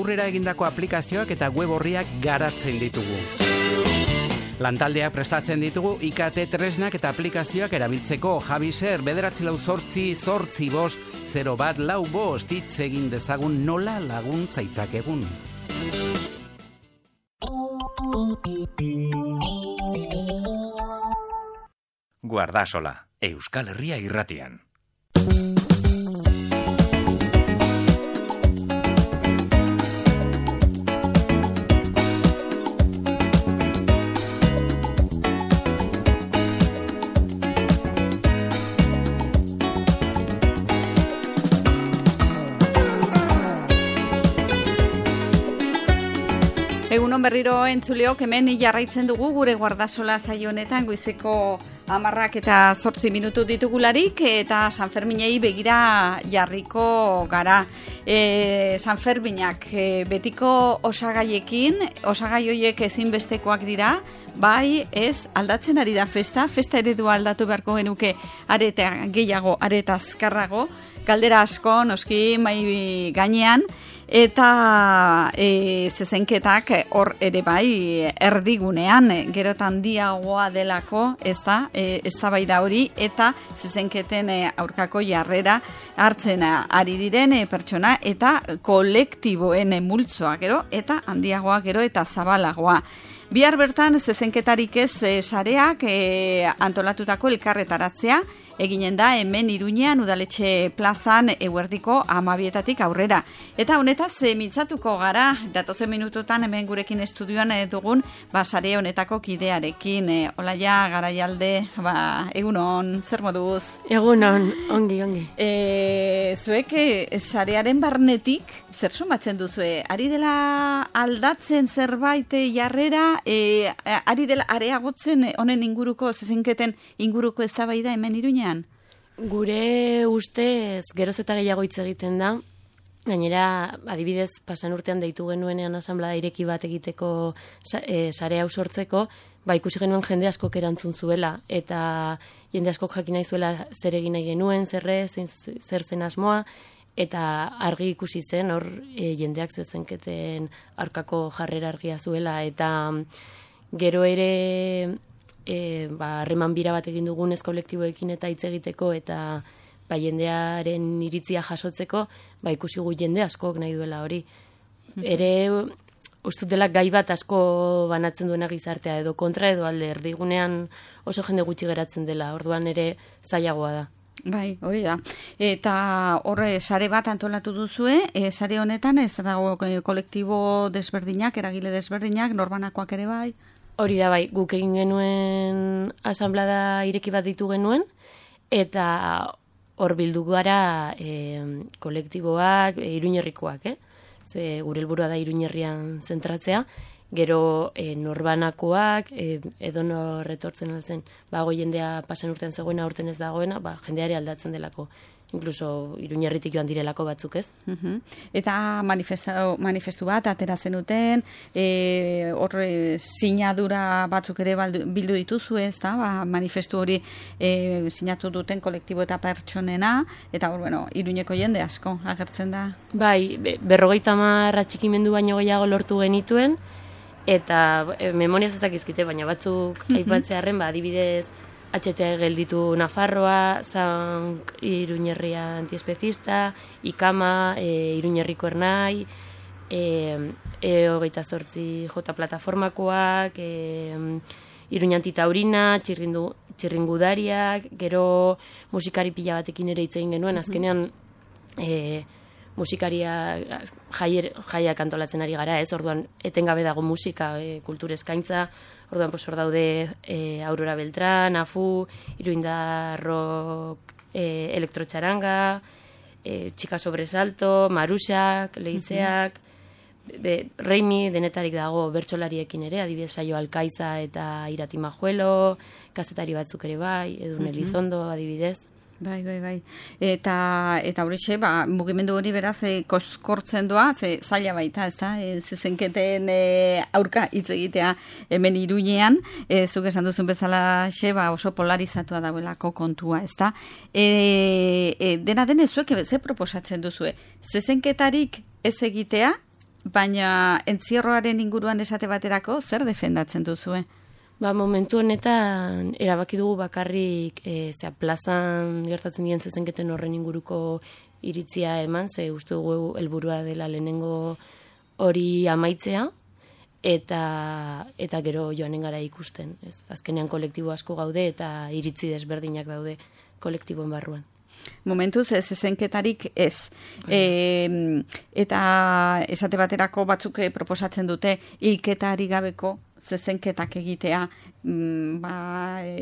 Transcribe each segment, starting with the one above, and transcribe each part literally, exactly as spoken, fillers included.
aurrera egindako aplikazioak eta web orriak garatzen ditugu. Lantaldeak prestatzen ditugu I K T tresnak eta aplikazioak erabiltzeko. Javiser, bederatzi lau zortzi, zortzi bost, zero bat lau bost, hitz egin dezagun nola laguntza itzakegun. Guardasola, Euskal Herria irratian. Egunon berriro entzuleok, hemen jarraitzen dugu gure guardasola saio honetan goizeko hamarrak eta zortzi minutu ditugularik eta Sanferminei begira jarriko gara. E, Sanferminak e, betiko osagaiekin, osagai horiek ezinbestekoak dira, bai ez aldatzen ari da festa, festa eredua aldatu beharko genuke areta gehiago, areta azkarrago, galdera asko noski mai gainean, eta e, zezenketak hor ere bai erdigunean, gerotan handiagoa delako, ez da, e, eztabaida hori, eta zezenketen e, aurkako jarrera hartzen ari diren e, pertsona, eta kolektiboen e, multzoa gero, eta handiagoa gero, eta zabalagoa. Bihar bertan zezenketarik ez e, sareak e, antolatutako elkarretaratzea, eginen da hemen Iruñean udaletxe plazan eguerdiko hamabietatik aurrera. Eta honetaz e, mintzatuko gara, datozen minututan hemen gurekin estudioan e, dugun ba, sare honetako kidearekin. E, Olaia Garaialde, ba, egunon, zer moduz? Egunon, ongi, ongi. E, zuek e, sarearen barnetik, zer somatzen duzue? Ari dela aldatzen zerbait e, jarrera, e, ari dela areagotzen honen inguruko, zezenketen inguruko eztabaida hemen Iruñean? Gure ustez geroz eta gehiago hitz egiten da. Gainera, adibidez, pasan urtean deitu genuenean asanblada ireki bat egiteko e, sare hau sortzeko, ba ikusi genuen jende askok erantzun zuela eta jende askok jakin nahi zuela zer egin nahi genuen, zerre, zer zen asmoa, eta argi ikusi zen hor e, jendeak zezenketen aurkako jarrera argia zuela, eta gero ere E, ba, harreman bira bat egin dugunez kolektiboekin eta hitz egiteko eta ba, jendearen iritzia jasotzeko, ba, ikusi gu jende askok nahi duela hori. Ere, ustut dela gai bat asko banatzen duena gizartea, edo kontra edo alde, erdigunean oso jende gutxi geratzen dela, orduan ere zailagoa da. Bai, hori da. Eta horre sare bat antolatu duzue, e, sare honetan ez dago kolektibo desberdinak, eragile desberdinak, norbanakoak ere bai? Hori da bai, guk egin genuen asanblada ireki bat ditu genuen, eta hor bildu gara e, kolektiboak, e, Iruñerrikoak, eh? Ze gure helburua da Iruñerrian zentratzea, gero e, norbanakoak, e, edo nor etortzen altzen, ba, goi jendea pasan urtean zegoena, urten ez dagoena, ba, jendeare aldatzen delako. Inkluso Iruñerritik joan direlako batzuk, ez? Uh-huh. Eta manifestu, manifestu bat atera zenuten, e, horre sinadura batzuk ere bildu dituzu, ez da? Ba, manifestu hori e, sinatu duten kolektibo eta pertsonena, eta hor, bueno, Iruñeko jende asko agertzen da. Bai, berrogeita hamar atxikimendu baino gehiago lortu genituen, eta e, memoriaz ez dakizkite, baina batzuk uh-huh. aipatzearren, ba, adibidez, H T gelditu Nafarroa, Zank Iruñerria antiespezista, Ikama, e, Iruñerriko Ernai, e, e hogeita zortzi J plataformakoak, e, Iruña antitaurina, txirrindu, txirringudariak, gero musikari pila batekin ere hitz egin genuen, azkenean e, musikaria jaier, jaiak antolatzen ari gara, ez? Orduan etengabe dago musika, e, kultur eskaintza, orduan pues hor daude e, Aurora Beltrán, Afu, Iruindarrok, e, Elektrotxaranga, e, Txika Sobresalto, Maruxak, Leizeak, uh-huh. be, Reimi denetarik dago bertsolariekin ere, adibidez Saio Alkaiza eta Irati Majuelo, kazetari batzuk ere bai, Edun uh-huh. Elizondo adibidez. Bai, bai, bai. Eta eta horixe, ba, mugimendu hori beraz e, koskortzen doa, ze zaila baita, ezta? E, zezenketen e, aurka hitz egitea hemen Iruñean, e, zuk esan duzun bezala xe, ba, oso polarizatua dagoelako kontua, ezta? E, e, dena den zuek ze proposatzen duzue? Zezenketarik ez egitea, baina entzierroaren inguruan esate baterako, zer defendatzen duzue? Ba, momentu honetan erabaki dugu bakarrik e, zera, plazan gertatzen dien zezenketen horren inguruko iritzia eman, ze uste dugu helburua dela lehenengo hori amaitzea, eta eta gero joanen gara ikusten. Ez? Azkenean kolektibo asko gaude eta iritzi desberdinak daude kolektiboen barruan. Momentuz ez zezenketarik ez. E, eta esate baterako batzuk proposatzen dute hilketari gabeko zezenketak egitea, mm, ba,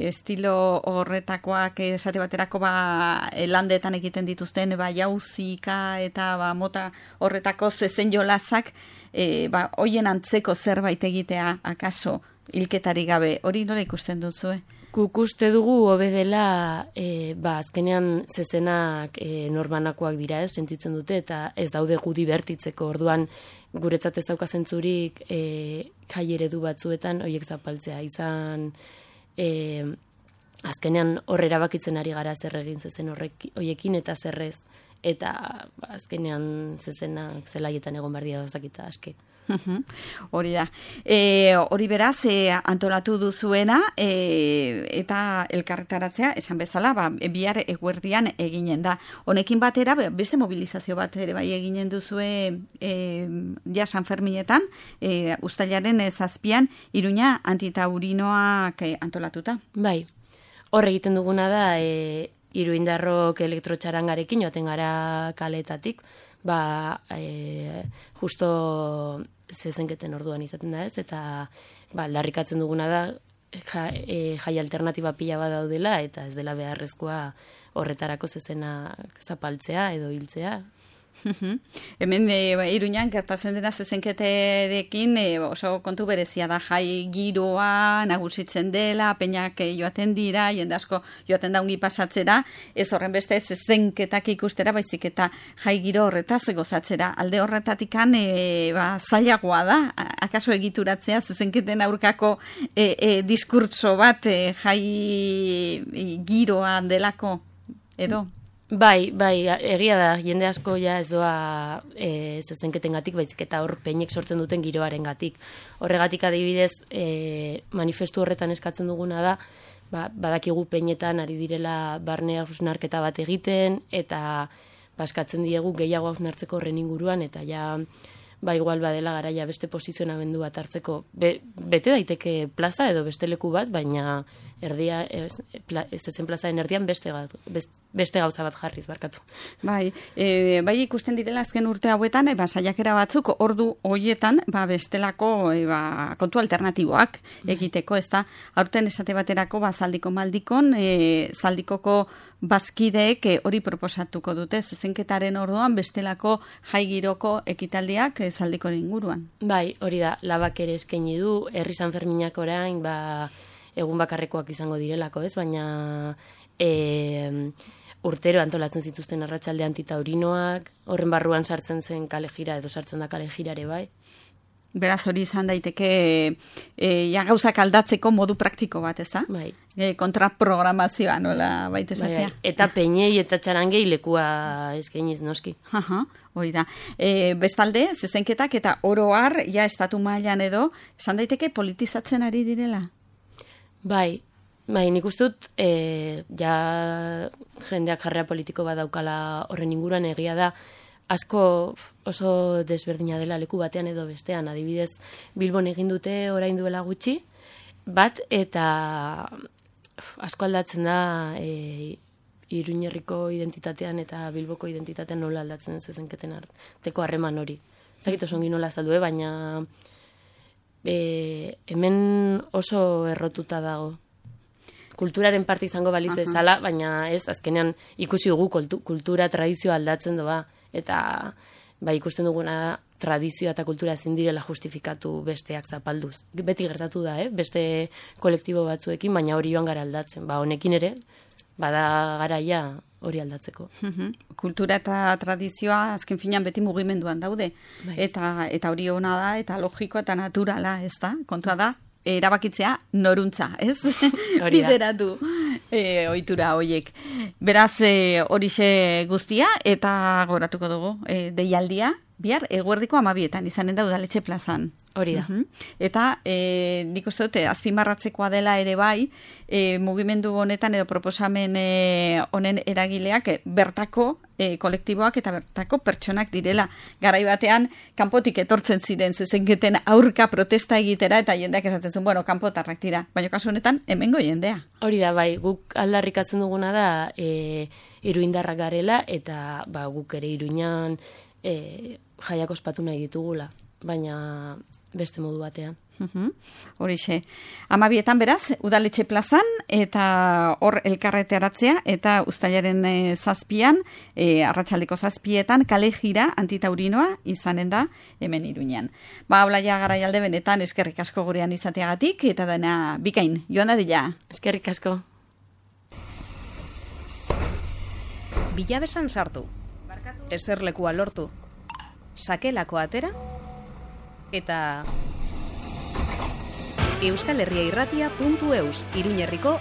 estilo horretakoak esate baterako ba, landetan egiten dituzten, ba, jauzika eta ba, mota horretako zezen jolasak, e, ba, hoien antzeko zerbait egitea, akaso, hilketari gabe, hori nola ikusten duzue? Guk uste dugu hobe dela, e, ba, azkenean zezenak e, norbanakoak dira, ez, sentitzen dute, eta ez daude gu dibertitzeko, orduan guretzat ez dauka zentzurik e, jai eredu batzuetan horiek zapaltzea, izan e, azkenean horre erabakitzen ari gara zer egin zezen horrek, horiekin eta zerrez, eta ba, azkenean zezenak zelaietan egon behar dira dozakita aske. Hori da. E, hori beraz, e, antolatu duzuena e, eta elkarretaratzea, esan bezala, ba, bihar eguerdian eginen da. Honekin batera, beste mobilizazio bat ere bai eginen duzue e, ja San Ferminetan, e, uztailaren zazpian, Iruña antitaurinoak e, antolatuta. Bai, hor egiten duguna da, e, Iruindarrok elektrotxarangarekin joaten gara kaletatik, ba, e, justo zezenketen orduan izaten da ez, eta ba, aldarrikatzen duguna da ja, e, jai alternatiba pila bat daudela, eta ez dela beharrezkoa horretarako zezenak zapaltzea edo hiltzea. Hemen e, Iruñan gertatzen dena zezenketerekin e, oso kontu berezia da, jai giroa nagusitzen dela, peinak joaten dira, jende asko joaten da ungi pasatzera, ez horren beste zezenketak ikustera, baizik eta jai giro horretaz gozatzera. Alde horretatikan e, ba, zailagoa da, akaso egituratzea zezenketen aurkako e, e, diskurtso bat e, jai e, giroan delako, edo? Bai, bai, egia da, jende asko ja ez doa e, zezenketengatik, baizik eta hor peinek sortzen duten giroarengatik. Horregatik adibidez, e, manifestu horretan eskatzen duguna da, ba, badakigu peinetan ari direla barne hausnarketa bat egiten, eta baskatzen diegu gehiago hausnartzeko horren inguruan, eta ja, ba igual badela garaia beste posizionamendu bat hartzeko. Be, bete daiteke plaza edo beste leku bat, baina erdia, ez, ez ezen plazaren erdian beste, beste gauza bat jarriz, barkatu. Bai, e, bai ikusten direla azken urte hauetan, e, ba, saiakera batzuk ordu hoietan ba, bestelako e, ba, kontu alternatiboak egiteko, ez da, aurten esate baterako ba, zaldiko maldikon, e, zaldikoko bazkideek e, hori proposatuko dute, zezenketaren orduan bestelako jai giroko ekitaldiak e, zaldiko inguruan. Bai, hori da, labak ere eskaini du, herri San Ferminak orain, ba, egun bakarrekoak izango direlako, ez? Baina e, urtero antolatzen zituzten arratsalde antitaurinoak, horren barruan sartzen zen kale jira, edo sartzen da kale jirare, bai? Beraz hori izan daiteke e, ja gauzak aldatzeko modu praktiko bat, ez da? Bai. E, kontraprogramazioa, nola baita esatea? Bai, eta peinei eta txarangei lekua eskainiz noski. Aha, hori da. E, bestalde, zezenketak eta oro har, ja estatu mailan edo, esan daiteke politizatzen ari direla? Bai, bai, nik uste dut, e, ja jendeak jarrera politiko bat daukala horren inguruan, egia da, asko oso desberdina dela leku batean edo bestean, adibidez Bilbon egin dute orain duela gutxi, bat eta asko aldatzen da e, Iruñerriko identitatean eta Bilboko identitatean nola aldatzen zezenketen arteko harreman hori. Zakit oso ongi nola azaldu, baina e, hemen oso errotuta dago. Kulturaren parte izango baliz bezala, baina ez, azkenean ikusi dugu kultura, tradizioa aldatzen doa, eta ba, ikusten duguna tradizioa eta kultura ezin direla justifikatu besteak zapalduz. Beti gertatu da, eh? Beste kolektibo batzuekin, baina hori joan gara aldatzen. Ba, honekin ere, bada garaia hori aldatzeko. Kultura eta tradizioa azken finean beti mugimenduan daude. Bai. Eta, eta hori ona da, eta logikoa eta naturala, ez da? Kontua da, erabakitzea noruntza, ez? Bideratu. e, ohitura hoiek. Beraz, e, horixe guztia, eta goratuko dugu, e, deialdia, bihar, eguerdiko amabietan, izanen da udaletxe plazan. Hori da. Uh-huh. Eta e, nik uste dute, azpimarratzekoa dela ere bai, e, mugimendu honetan edo proposamen e, honen eragileak e, bertako e, kolektiboak eta bertako pertsonak direla. Garai batean, kanpotik etortzen ziren zezenketen aurka protesta egitera, eta jendeak esaten zuen, bueno, kanpotarrak dira. Baina kasu honetan, hemengo jendea. Hori da, bai, guk aldarrikatzen duguna da e, iruindarrak garela, eta ba, guk ere Iruinan e, jaiak ospatu nahi ditugula. Baina beste modu batean. Uhum. Horixe. Amabietan beraz, udaletxe plazan, eta hor elkarreteratzea, eta uztailaren e, zazpian, e, arratsaldeko zazpietan, kale jira antitaurinoa izanen da hemen Iruñean. Ba, Olaia Garaialde benetan eskerrik asko gurean izateagatik, eta dena bikain, joan da dila. Eskerrik asko. Bilabesan sartu. Eserlekua lortu. Sakelako atera. Eta Euskal Herria Irratia puntu eus, Iruñerriko